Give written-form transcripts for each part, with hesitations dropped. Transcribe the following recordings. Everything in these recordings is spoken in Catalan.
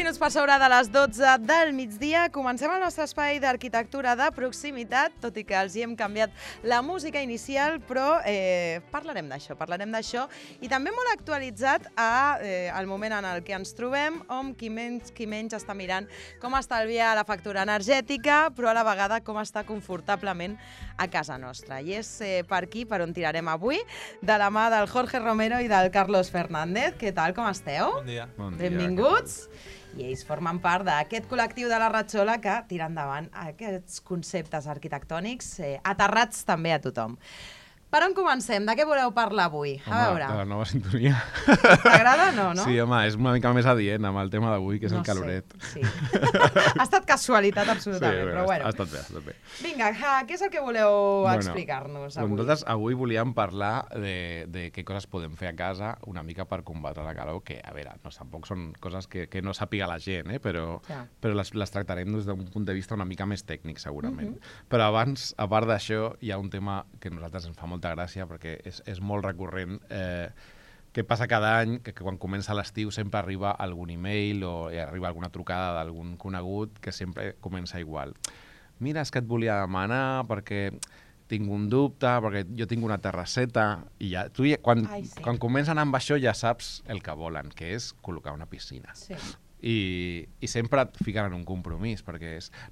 minuts per sobre de les 12 del migdia. Comencem el nostre espai d'arquitectura de proximitat, tot i que els hi hem canviat la música inicial, però parlarem d'això. I també molt actualitzat al moment en el que ens trobem, on qui menys està mirant com estalviar la factura energètica, però a la vegada com està confortablement a casa nostra. I és per aquí per on tirarem avui, de la mà del Jorge Romero i del Carlos Fernández. Què tal, com esteu? Bon dia. Benvinguts. I ells formen part d'aquest col·lectiu de la Ratxola que tira endavant aquests conceptes arquitectònics aterrats també a tothom. Per on comencem? De què voleu parlar avui? A veure. De la nova sintonia. T'agrada? No? Sí, home, és una mica més adient amb el tema d'avui, que és el caloret. Sí. Ha estat casualitat absolutament, però bueno. Ha estat bé. Vinga, què és el que voleu explicar-nos avui? Nosaltres avui volíem parlar de què coses podem fer a casa una mica per combatre la calor, que, a veure, tampoc són coses que no sàpiga la gent, però les tractarem des d'un punt de vista una mica més tècnic, segurament. Però abans, a part d'això, hi ha un tema que a nosaltres ens fa molta gràcia, perquè és molt recurrent, que passa cada any, que quan comença l'estiu sempre arriba algun email o arriba alguna trucada d'algun conegut que sempre comença igual. Mira, és que et volia demanar perquè tinc un dubte, perquè jo tinc una terrasseta, i ja, quan comencen amb això ja saps el que volen, que és col·locar una piscina. Sí. I sempre et fiquen en un compromís, perquè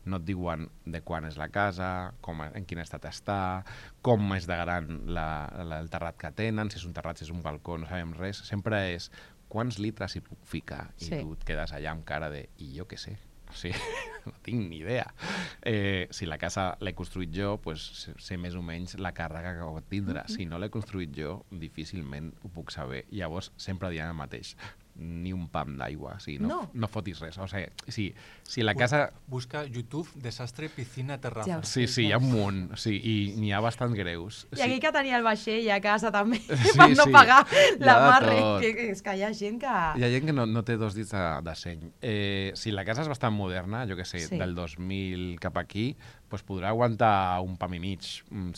no et diuen de quan és la casa, en quin estat està, com és de gran el terrat que tenen, si és un terrat, si és un balcó, no sabem res. Sempre és quants litres hi puc ficar, i tu et quedes allà amb cara de i jo què sé. Sí, no tinc ni idea. Si la casa l'he construït jo, sé més o menys la càrrega que pot tindre. Si no l'he construït jo, difícilment ho puc saber. Llavors, sempre diem el mateix. Ni un pam d'aigua, o sigui, no fotis res. O sigui, si la casa... Busca YouTube, desastre, piscina, terraza. Sí, hi ha un munt, i n'hi ha bastant greus. I aquí que tenia el vaixell a casa també, per no pagar l'amarre. És que hi ha gent que... Hi ha gent que no té dos dits de seny. Si la casa és bastant moderna, jo què sé, del 2000 cap aquí, podrà aguantar un pam i mig,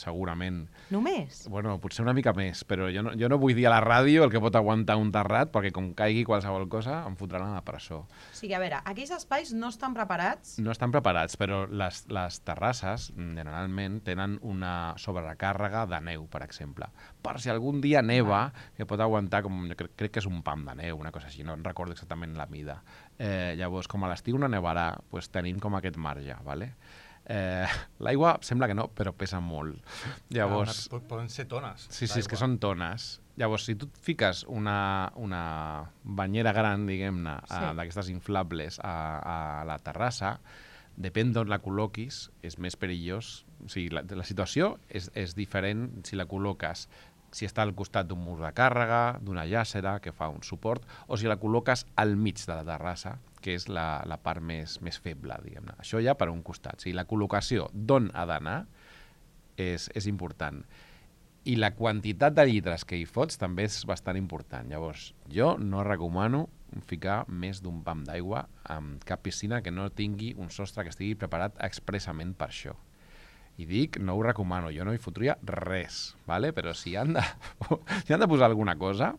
segurament. Només? Bueno, potser una mica més, però jo no vull dir a la ràdio el que pot aguantar un terrat, perquè com caigui qualsevol cosa em fotran a la presó. O sigui, a veure, aquells espais no estan preparats? No estan preparats, però les terrasses generalment tenen una sobrecàrrega de neu, per exemple. Per si algun dia neva, que pot aguantar, crec que és un pam de neu, una cosa així, no recordo exactament la mida. Llavors, com a l'estiu no nevarà, tenim com aquest marge, ¿vale? L'aigua sembla que no, però pesa molt. Llavors, poden ser tones. Sí, és que són tones. Llavors, si tu et fiques una banyera gran, diguem-ne, d'aquestes inflables a la terrassa, depèn d'on la col·loquis, és més perillós. O sigui, la situació és diferent si la col·loques si està al costat d'un mur de càrrega, d'una llàcera que fa un suport, o si la col·loques al mig de la terrassa, que és la part més feble, diguem-ne. Això ja per un costat. O sigui, la col·locació d'on ha d'anar és important. I la quantitat de litres que hi fots també és bastant important. Llavors, jo no recomano ficar més d'un pam d'aigua en cap piscina que no tingui un sostre que estigui preparat expressament per això. I dic, no ho recomano, jo no hi fotria res, ¿vale? Però si han de posar alguna cosa,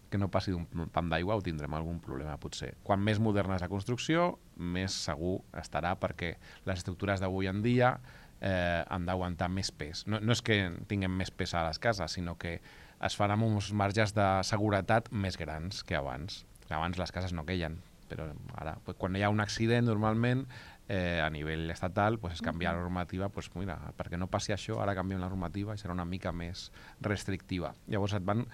que no passi d'un pam d'aigua o tindrem algun problema, potser. Quan més moderna és la construcció, més segur estarà, perquè les estructures d'avui en dia han d'aguantar més pes. No és que tinguem més pes a les cases, sinó que es fan amb uns marges de seguretat més grans que abans. Abans les cases no queien, però ara, quan hi ha un accident, normalment, a nivell estatal, es canvia la normativa, mira, perquè no passi això, ara canviem la normativa i serà una mica més restrictiva. Llavors et van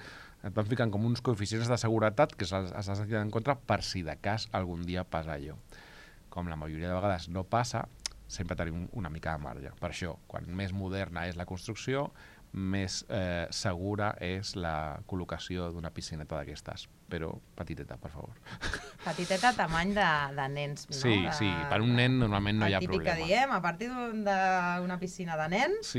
ficant com uns coeficients de seguretat que has de tenir en compte per si de cas algun dia passa allò. Com la majoria de vegades no passa, sempre tenim una mica de marge. Per això, quan més moderna és la construcció, més segura és la col·locació d'una piscineta d'aquestes. Però petiteta, per favor. Petiteta tamany de nens, no? Sí, per un nen normalment no hi ha problema. El típic que diem, a partir d'una piscina de nens,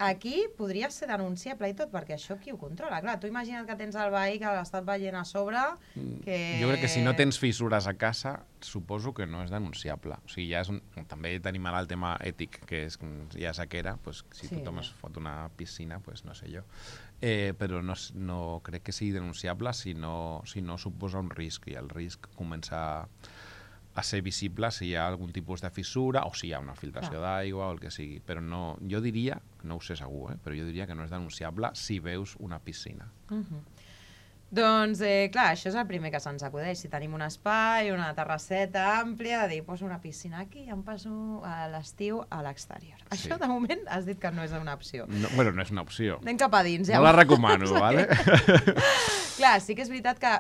aquí podria ser denunciable i tot, perquè això qui ho controla? Clar, tu imagina't que tens el veí que l'ha estat veient a sobre... Jo crec que si no tens fissures a casa, suposo que no és denunciable. O sigui, també tenim ara el tema ètic, que hi ha sequera, si tothom es fot una piscina, no sé jo. Però no crec que sigui denunciable si no suposa un risc, i el risc comença a ser visible si hi ha algun tipus de fissura o si hi ha una filtració d'aigua o el que sigui. Però no, jo diria, no ho sé segur, però jo diria que no és denunciable si veus una piscina. Doncs, clar, això és el primer que se'ns acudeix. Si tenim un espai, una terrasseta àmplia, de dir, poso una piscina aquí i em passo a l'estiu a l'exterior. Sí. Això, de moment, has dit que no és una opció. No, bueno, no és una opció. Anem cap a dins. No la recomano, vale? Clar, sí que és veritat que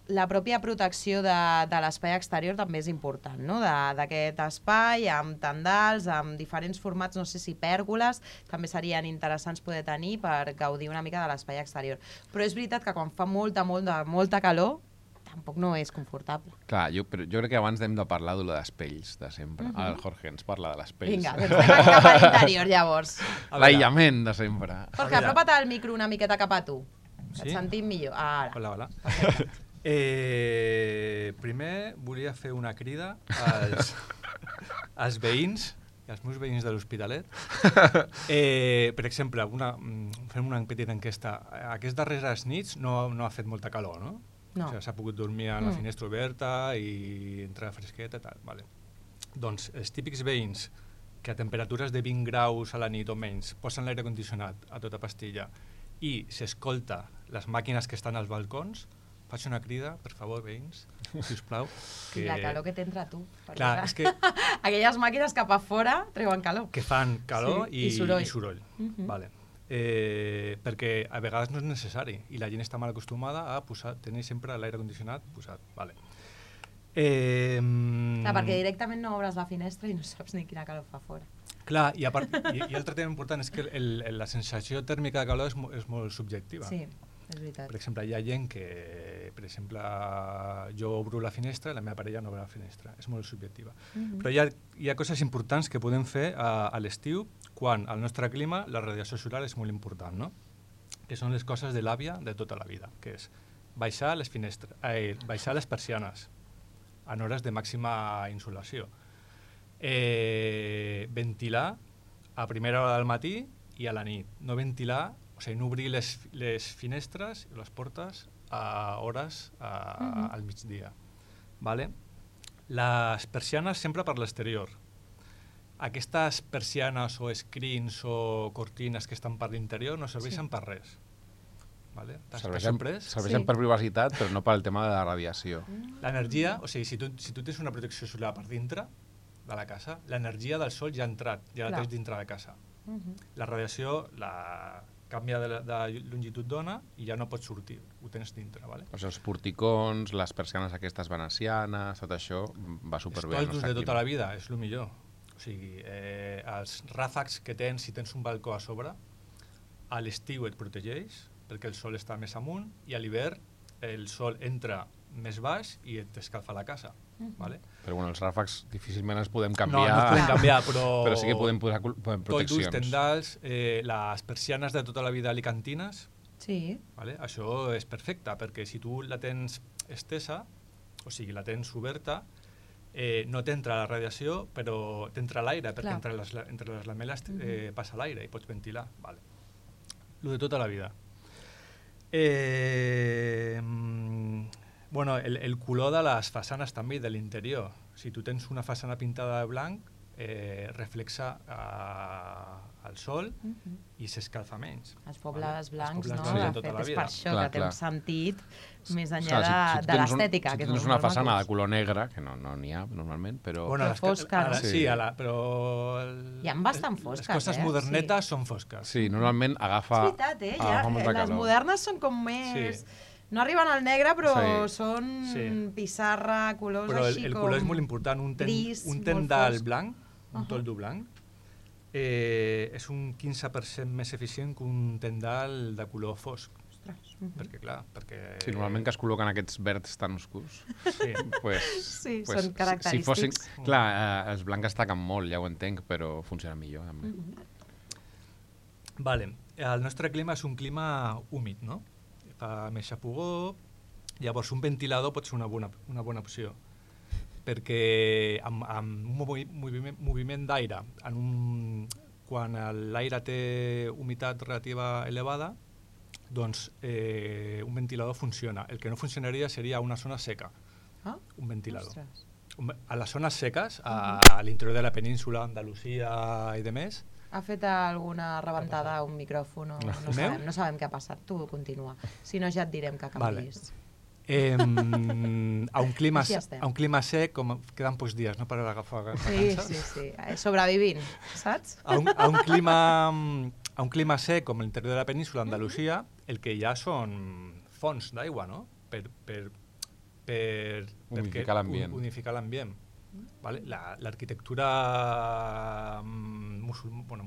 la pròpia protecció de l'espai exterior també és important, no? D'aquest espai, amb tendals, amb diferents formats, no sé si pèrgoles, també serien interessants poder tenir per gaudir una mica de l'espai exterior. Però és veritat que quan fa molta calor, tampoc no és confortable. Clar, jo crec que abans hem de parlar de les pells, de sempre. Ara el Jorge ens parla de les pells. Vinga, doncs anem cap a l'interior, llavors. L'aïllament de sempre. Jorge, apropa't el micro una miqueta cap a tu. Sí? Et sentim millor. Ara. Hola, hola. Primer volia fer una crida als veïns i als meus veïns de l'Hospitalet. Per exemple, fem una petita enquesta. Aquestes darreres nits no ha fet molta calor, no? No. O sigui, s'ha pogut dormir amb la finestra oberta i entrar fresqueta i tal. Vale. Doncs els típics veïns que a temperatures de 20 graus a la nit o menys posen l'aire condicionat a tota pastilla i s'escolta les màquines que estan als balcons, faig una crida, per favor, veïns, si us plau. Que... La calor que t'entra tu. Clar, és que... Aquelles màquines cap a fora treuen calor. Que fan calor i soroll. Vale. Perquè a vegades no és necessari i la gent està mal acostumada a tenir sempre l'aire condicionat posat. Vale. Perquè directament no obres la finestra i no saps ni quina calor fa fora. Clar, i l'altre tema important és que la sensació tèrmica de calor és molt subjectiva. Sí, és veritat. Per exemple, hi ha gent que, per exemple, jo obro la finestra i la meva parella no obre la finestra. És molt subjectiva. Però hi ha coses importants que podem fer a l'estiu quan al nostre clima la radiació solar és molt important, no? Que són les coses de l'àvia de tota la vida, que és baixar les persianes en hores de màxima insolació. Ventilar a primera hora del matí i a la nit. No ventilar, o sigui, no obrir les finestres i les portes a hores al migdia. Vale? Les persianes sempre per l'exterior. Aquestes persianes o screens o cortines que estan per l'interior no serveixen per res. Vale? Serveixen per privacitat, però no pel tema de la radiació. L'energia, o sigui, si tu tens una protecció solar per dintre de la casa, l'energia del sol ja ha entrat, ja la tens dintre de casa. La radiació canvia de longitud d'ona i ja no pots sortir, ho tens dintre. Vale? O sigui, els porticons, les persianes aquestes venecianes, tot això va superbé. Els toldos de tota la vida, és el millor. O sigui, els ràfecs que tens, si tens un balcó a sobre, a l'estiu et protegeix, perquè el sol està més amunt, i a l'hivern el sol entra més baix i et escalfa la casa. Vale? Però bueno, els ràfecs difícilment els podem canviar. No els podem canviar, però sí que podem posar proteccions. Toldos, tendals, les persianes de tota la vida alicantines, vale? Això és perfecte, perquè si tu la tens estesa, o sigui, la tens oberta, no t'entra la radiació, però t'entra l'aire, perquè entre les lamel·les passa l'aire i pots ventilar. Vale. Lo de tota la vida. Bueno, el color de les façanes també i de l'interior. Si tu tens una façana pintada de blanc, reflexa el sol i s'escalfa menys. Els pobles blancs, no? De De tota la fet, és vida. per això que té un sentit més enllà Clar, de l'estètica. Si tens una façana de color negre, que no n'hi ha normalment, però... Però fosca, no? Sí, però... Hi ha bastant fosques, les coses modernetes són fosques. Sí, normalment agafa... És veritat, les modernes són com més... No arriben al negre, però són pissarra, colors així com... Però el color és molt important. Un tendal blanc, un toldo blanc, és un 15% més eficient que un tendal de color fosc. Perquè, clar, Sí, normalment que es col·loquen aquests verds tan oscurs. Sí, són característics. Clar, els blancs destaquen molt, ja ho entenc, però funciona millor. Vale. El nostre clima és un clima húmid, no? Fa més xafogó, llavors un ventilador pot ser una bona opció, perquè amb un moviment d'aire, quan l'aire té humitat relativa elevada, doncs un ventilador funciona. El que no funcionaria seria una zona seca, un ventilador. a les zones seques, a l'interior de la península, Andalusia i demés. Ha fet alguna rebentada a un micròfon? No sabem què ha passat. Tu continua. Si no, ja et direm que canviïs. A un clima sec, com queden pocs dies, no, per agafar vacances. Sí. Sobrevivint, saps? A un clima sec, com l'interior de la península, Andalusia, el que hi ha són fonts d'aigua, no? Per unificar l'ambient. Unificar l'ambient. Vale? L'arquitectura musulmana,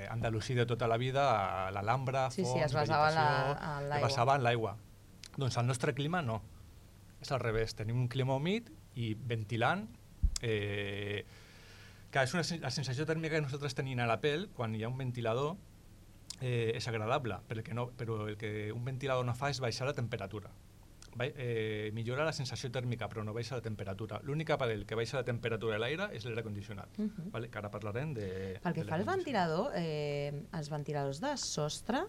andalusí de tota la vida, l'Alhambra, fonts, es basava es basava en l'aigua. Doncs el nostre clima no. És al revés. Tenim un clima humit i ventilant. La sensació tèrmica que nosaltres tenim a la pell, quan hi ha un ventilador, és agradable, però el que un ventilador no fa és baixar la temperatura. Millora la sensació tèrmica, però no baixa la temperatura. L'únic aparell que baixa la temperatura de l'aire és l'aire condicionat, que ara parlarem de... Pel que fa al ventilador, els ventiladors de sostre...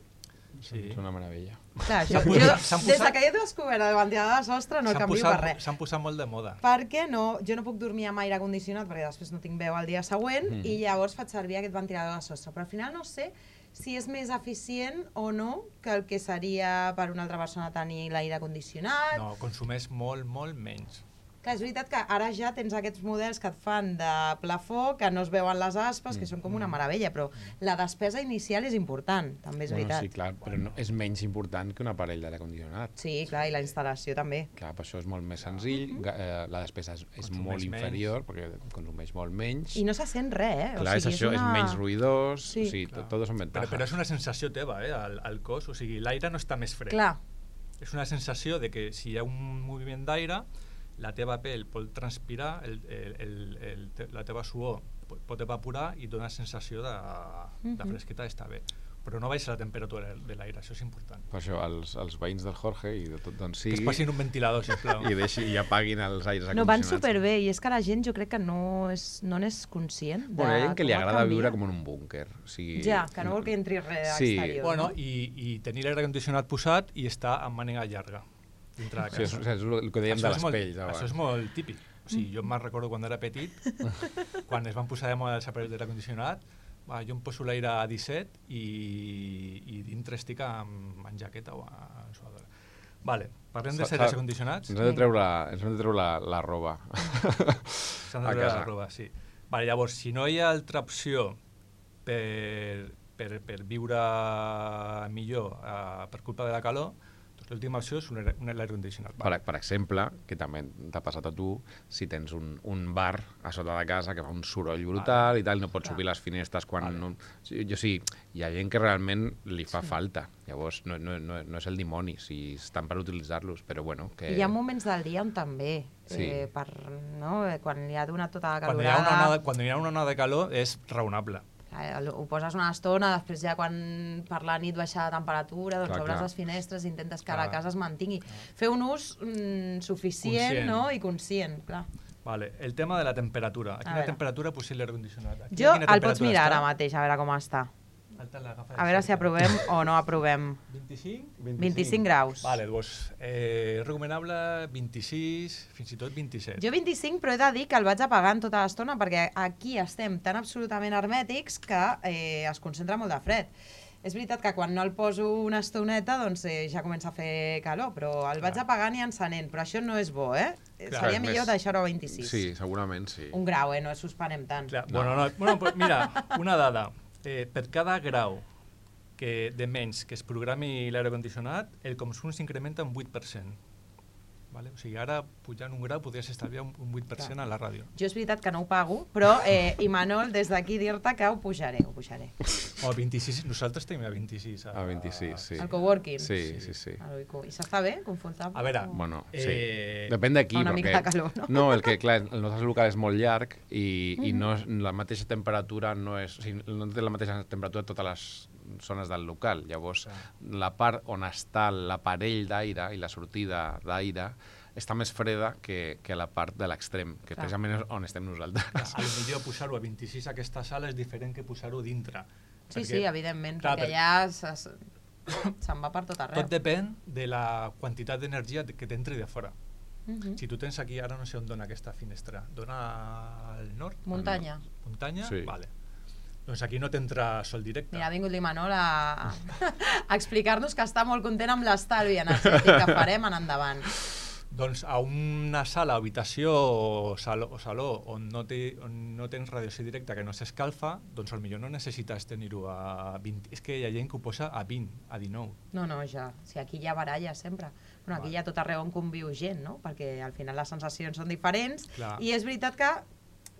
Sí. És una meravella. Clar, des que jo he descobert el ventilador de sostre no canvio per res. S'han posat molt de moda. Perquè jo no puc dormir amb aire condicionat perquè després no tinc veu al dia següent i llavors faig servir aquest ventilador de sostre. Però al final no sé si és més eficient o no que el que seria per una altra persona tenir l'aire condicionat. No, consumeix molt menys. Clar, és veritat que ara ja tens aquests models que et fan de plafó, que no es veuen les aspes, que són com una meravella, però la despesa inicial és important, també és veritat. Sí, clar, però no, és menys important que un aparell d'aire condicionat. Sí, clar, i la instal·lació també. Clar, per això és molt més senzill, la despesa és molt inferior, perquè consumeix molt menys. I no se sent res, Clar, és això, és menys ruïdós, tot són ventajas. Però és una sensació teva, al cos, o sigui, l'aire no està més fred. Clar. És una sensació de que si hi ha un moviment d'aire, la teva pell pot transpirar, la teva suor pot evaporar i dona sensació de fresqueta, està bé. Però no baixa la temperatura de l'aire, això és important. Per això, els veïns del Jorge i de tot d'on sigui... Que es passin un ventilador, sisplau. I apaguin els aires acondicionats. No, van superbé, i és que la gent jo crec que no n'és conscient de hi ha gent que li agrada viure com en un búnquer. Ja, que no vol que entri res exterior. Bueno, i tenir l'aire condicionat posat i estar amb mànega llarga. Sí, és el que dèiem de les pells. Això és molt típic. O sigui, jo me'n recordo quan era petit, quan es van posar de moda els aparells d'aire condicionat, jo em poso l'aire a 17 i dintre estic amb jaqueta o en suadora. Vale, parlem dels aires condicionats. Ens hem de treure la roba a casa. S'han de treure la roba, sí. Vale, llavors, si no hi ha altra opció per viure millor per culpa de la calor, l'última opció és un aire condicionat. Per exemple, que també t'ha passat a tu, si tens un bar a sota de casa que fa un soroll brutal i tal, no pots obrir les finestres quan... Hi ha gent que realment li fa falta. Llavors, no és el dimoni, si estan per utilitzar-los, però bueno... Hi ha moments del dia on també, quan li ha donat tota la calorada... Quan hi ha una onada de calor és raonable. Ho poses una estona, després ja quan per la nit baixa la temperatura, doncs obres les finestres i intentes que la casa es mantingui. Fer un ús suficient i conscient, clar. Vale, el tema de la temperatura. A quina temperatura posi l'aire condicionat? Jo el pots mirar ara mateix, a veure com està. A veure si aprovem o no aprovem. 25 graus. Vale, doncs recomanable 26, fins i tot 27. Jo 25, però he de dir que el vaig apagant tota l'estona perquè aquí estem tan absolutament hermètics que es concentra molt de fred. És veritat que quan no el poso una estoneta doncs ja comença a fer calor, però el vaig apagant i encenent, però això no és bo, Seria millor deixar-ho a 26. Sí, segurament sí. Un grau, no suspenem tant. Bueno, mira, una dada. Per cada grau de menys que es programi l'aire condicionat, el consum s'incrementa un 8%. Vale? O sigui, ara, pujant un grau, podries estalviar un 8% a la ràdio. Jo és veritat que no ho pago, però, Imanol, des d'aquí dir-te que ho pujaré. O 26, nosaltres tenim a 26. A 26, sí. Al coworking? Sí. I s'està bé, confortable? A veure... Bueno, sí. Depèn d'aquí, una mica de calor, no? No, el nostre local és molt llarg i no és la mateixa temperatura, no té la mateixa temperatura a totes les zones del local. Llavors, la part on està l'aparell d'aire i la sortida d'aire està més freda que la part de l'extrem, que precisament és on estem nosaltres. A lo millor posar-ho a 26 a aquesta sala és diferent que posar-ho dintre. Sí, evidentment, perquè ja se'n va per tot arreu. Tot depèn de la quantitat d'energia que t'entri de fora. Si tu tens aquí, ara no sé on dona aquesta finestra, dona al nord? Muntanya. Muntanya? Sí. Vale. Doncs aquí no t'entra sol directe. Mira, ha vingut l'Imanol a explicar-nos que està molt content amb l'estalvi energètic que farem en endavant. Doncs a una sala, habitació o saló on no tens radiació directa, que no s'escalfa, doncs potser no necessites tenir-ho a 20. És que hi ha gent que ho posa a 20, a 19. No, ja. Si aquí hi ha baralla sempre. Bueno, aquí hi ha tot arreu on conviu gent, no? Perquè al final les sensacions són diferents. Clar. I és veritat que,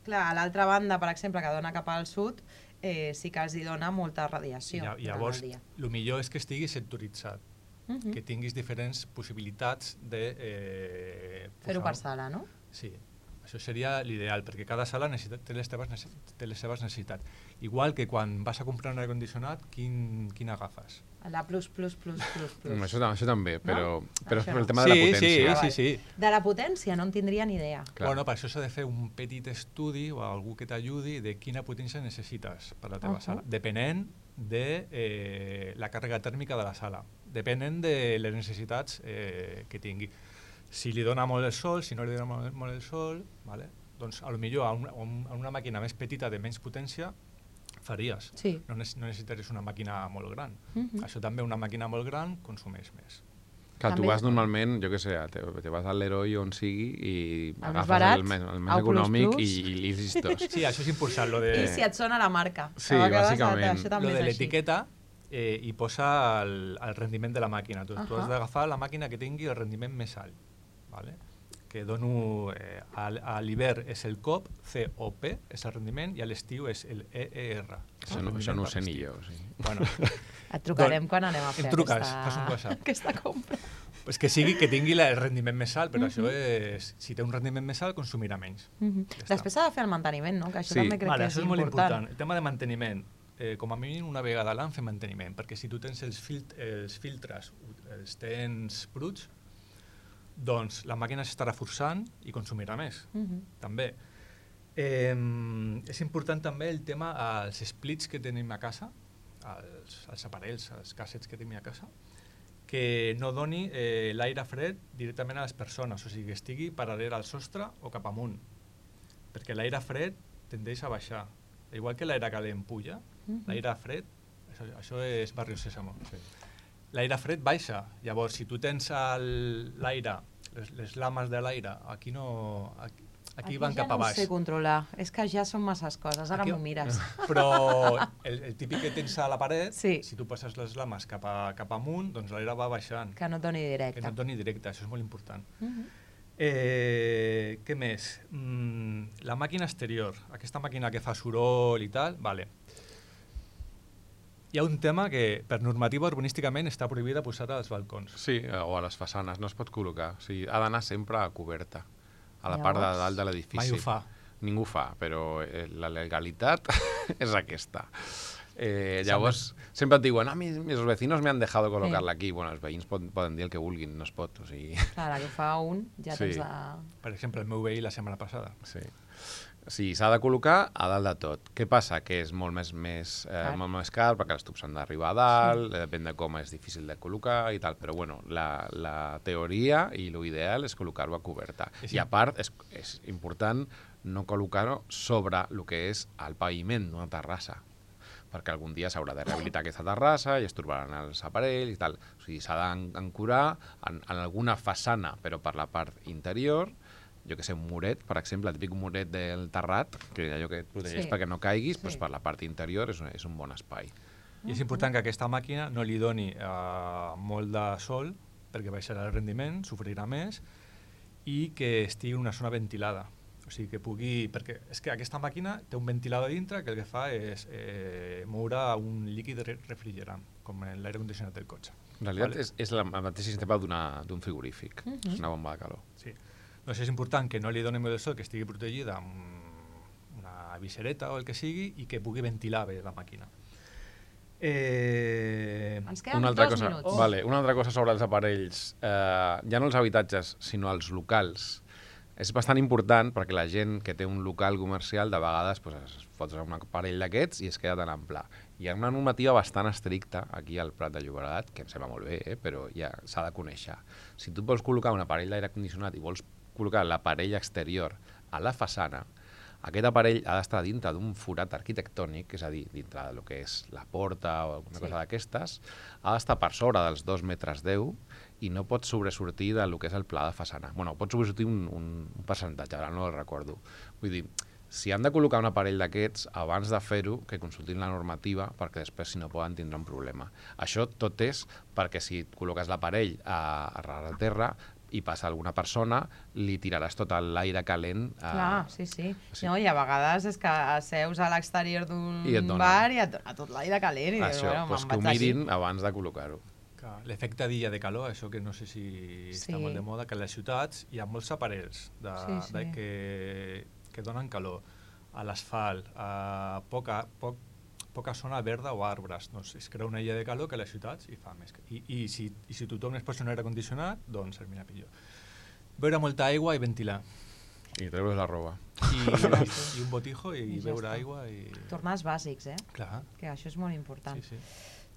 clar, a l'altra banda, per exemple, que dona cap al sud, sí que els hi dona molta radiació. I llavors, el millor és que estiguis sectoritzat, que tinguis diferents possibilitats de... Fer-ho per sala, no? Sí, això seria l'ideal, perquè cada sala té les seves necessitats. Igual que quan vas a comprar un aire condicionat, quin agafes? La plus. Això també, però Això és per el no. tema de la potència. Sí. De la potència no en tindria ni idea. Clar. Bueno, per això s'ha de fer un petit estudi o algú que t'ajudi de quina potència necessites per la teva sala, depenent de la càrrega tèrmica de la sala, depenent de les necessitats que tingui. Si li dona molt el sol, si no li dona molt el sol, vale? Doncs potser a una màquina més petita de menys potència faries. Sí. No necessitaries una màquina molt gran. Això també, una màquina molt gran consumeix més. Clar, tu També- vas normalment, jo què sé, te vas al Leroy on sigui i El més agafes barat, el més el econòmic plus. i listos. Sí, això és important, lo de... I si et sona la marca. Sí, A vegades bàsicament. Això també Lo de és així. l'etiqueta i posa el rendiment de la màquina. Tu has d'agafar la màquina que tingui el rendiment més alt. Vale? Que dono... a l'hivern és el COP, COP, és el rendiment, i a l'estiu és el EER. Això no ho sé ni jo. Sí. Bueno, Et trucarem quan anem a fer em truques, fas un WhatsApp. aquesta compra. pues que tingui el rendiment més alt, però això és... Si té un rendiment més alt, consumirà menys. Ja està. Després s'ha de fer el manteniment, no? Que això Sí. també crec Vale, que és això és molt important. important. El tema de manteniment, com a mínim una vegada a l'any fer manteniment, perquè si tu tens els filtres, els tens bruts, doncs la màquina s'estarà forçant i consumirà més, també. És important també el tema als splits que tenim a casa, als aparells, als cassets que tenim a casa, que no doni l'aire fred directament a les persones, o sigui, que estigui paral·lel al sostre o cap amunt, perquè l'aire fred tendeix a baixar. Igual que l'aire calent puja, l'aire fred, això és Barrio Sésamo. Sí. L'aire fred baixa, llavors si tu tens l'aire, les lames de l'aire, aquí no... Aquí van cap a baix. Aquí ja no ho sé controlar, és que ja són masses coses, ara m'ho mires. Però el típic que tens a la paret, Sí. si tu passes les lames cap amunt, doncs l'aire va baixant. Que no et doni Que directe. no et doni directe, això és molt important. Què més? La màquina exterior, aquesta màquina que fa soroll i tal, vale. Hi ha un tema que per normativa urbanísticament està prohibida posar als balcons. Sí, o a les façanes, no es pot col·locar. O sigui, ha d'anar sempre a coberta, a la part de Llavors, dalt de l'edifici. Mai ho fa. Ningú ho fa, però la legalitat és aquesta. Llavors, sempre et diuen, mis vecinos me han dejado colocarla aquí. Bueno, els veïns poden dir el que vulguin, no es pot. O sigui... Clar, la que fa un ja Sí. tens de... Per exemple, el meu veí la setmana passada. Sí. Sí, s'ha de col·locar a dalt de tot. Què passa? Que és molt més car perquè els tubs han d'arribar a dalt, depèn de com és difícil de col·locar i tal, però bueno, la teoria i l'ideal és col·locar-ho a coberta. I a part, és important no col·locar-ho sobre el que és el paviment d'una terrassa, perquè algun dia s'haurà de rehabilitar aquesta terrassa i es trobaran els aparells i tal. O sigui, s'ha d'ancorar en alguna façana, però per la part interior, jo que sé, un muret, per exemple, el típic muret del terrat, que allò que et protegeix Sí. perquè no caiguis, Sí. doncs per la part interior és un bon espai. I és important que aquesta màquina no li doni molt de sol, perquè baixarà el rendiment, sofrirà més, i que estigui en una zona ventilada. O sigui, que pugui... Perquè és que aquesta màquina té un ventilador dintre que el que fa és moure un líquid refrigerant, com en l'aire condicionat del cotxe. En realitat Vale. és el mateix sistema d'un frigorífic, és una bomba de calor. Sí. Doncs és important que no li doni molt de sol, que estigui protegida amb una visereta o el que sigui i que pugui ventilar bé la màquina. Ens queden Una altra 2 cosa, minuts. vale, una altra cosa sobre els aparells, ja no els habitatges, sinó els locals. És bastant important perquè la gent que té un local comercial de vegades pues, es fot un aparell d'aquests i es queda tan ample. Hi ha una normativa bastant estricta aquí al Prat de Llobregat, que em sembla molt bé, però ja s'ha de conèixer. Si tu vols col·locar un aparell d'aire condicionat i vols col·locar l'aparell exterior a la façana, aquest aparell ha d'estar dintre d'un forat arquitectònic, és a dir, dintre del que és la porta o alguna cosa d'aquestes, ha d'estar per sobre dels 2,10 metres i no pot sobresortir del que és el pla de façana. Bueno, pot sobresortir un percentatge, ara no el recordo. Vull dir, si han de col·locar un aparell d'aquests, abans de fer-ho, que consultin la normativa, perquè després, si no, poden tindre un problema. Això tot és perquè si col·loques l'aparell a ras de terra i passa alguna persona, li tiraràs tot l'aire calent. Clar, sí. No, i a vegades és que seus a l'exterior d'un bar i et dona tot l'aire calent. I això, dius, que ho mirin abans de col·locar-ho. L'efecte d'illa de calor, això que no sé si està molt de moda, que a les ciutats hi ha molts aparells que donen calor a l'asfalt, a poca zona verda o arbres. Doncs es crea una illa de calor que a les ciutats hi fa més. I si tothom es posa un aire condicionat, doncs servirà millor. Beure molta aigua i ventilar. I treure's la roba. I un botijo i beure aigua. Tornar als bàsics, Clar. Que això és molt important. Sí.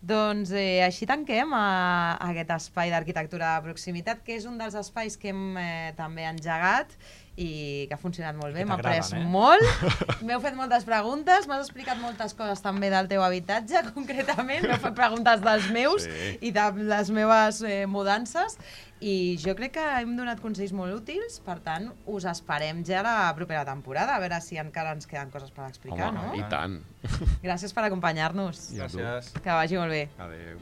Doncs així tanquem aquest espai d'arquitectura de proximitat, que és un dels espais que hem també engegat i que ha funcionat molt bé, m'ha après molt, m'heu fet moltes preguntes, m'has explicat moltes coses també del teu habitatge, concretament, m'heu fet preguntes dels meus i de les meves mudances, i jo crec que hem donat consells molt útils, per tant, us esperem ja la propera temporada, a veure si encara ens queden coses per explicar, no? I tant. Gràcies per acompanyar-nos. Gràcies. Que vagi molt bé. Adéu.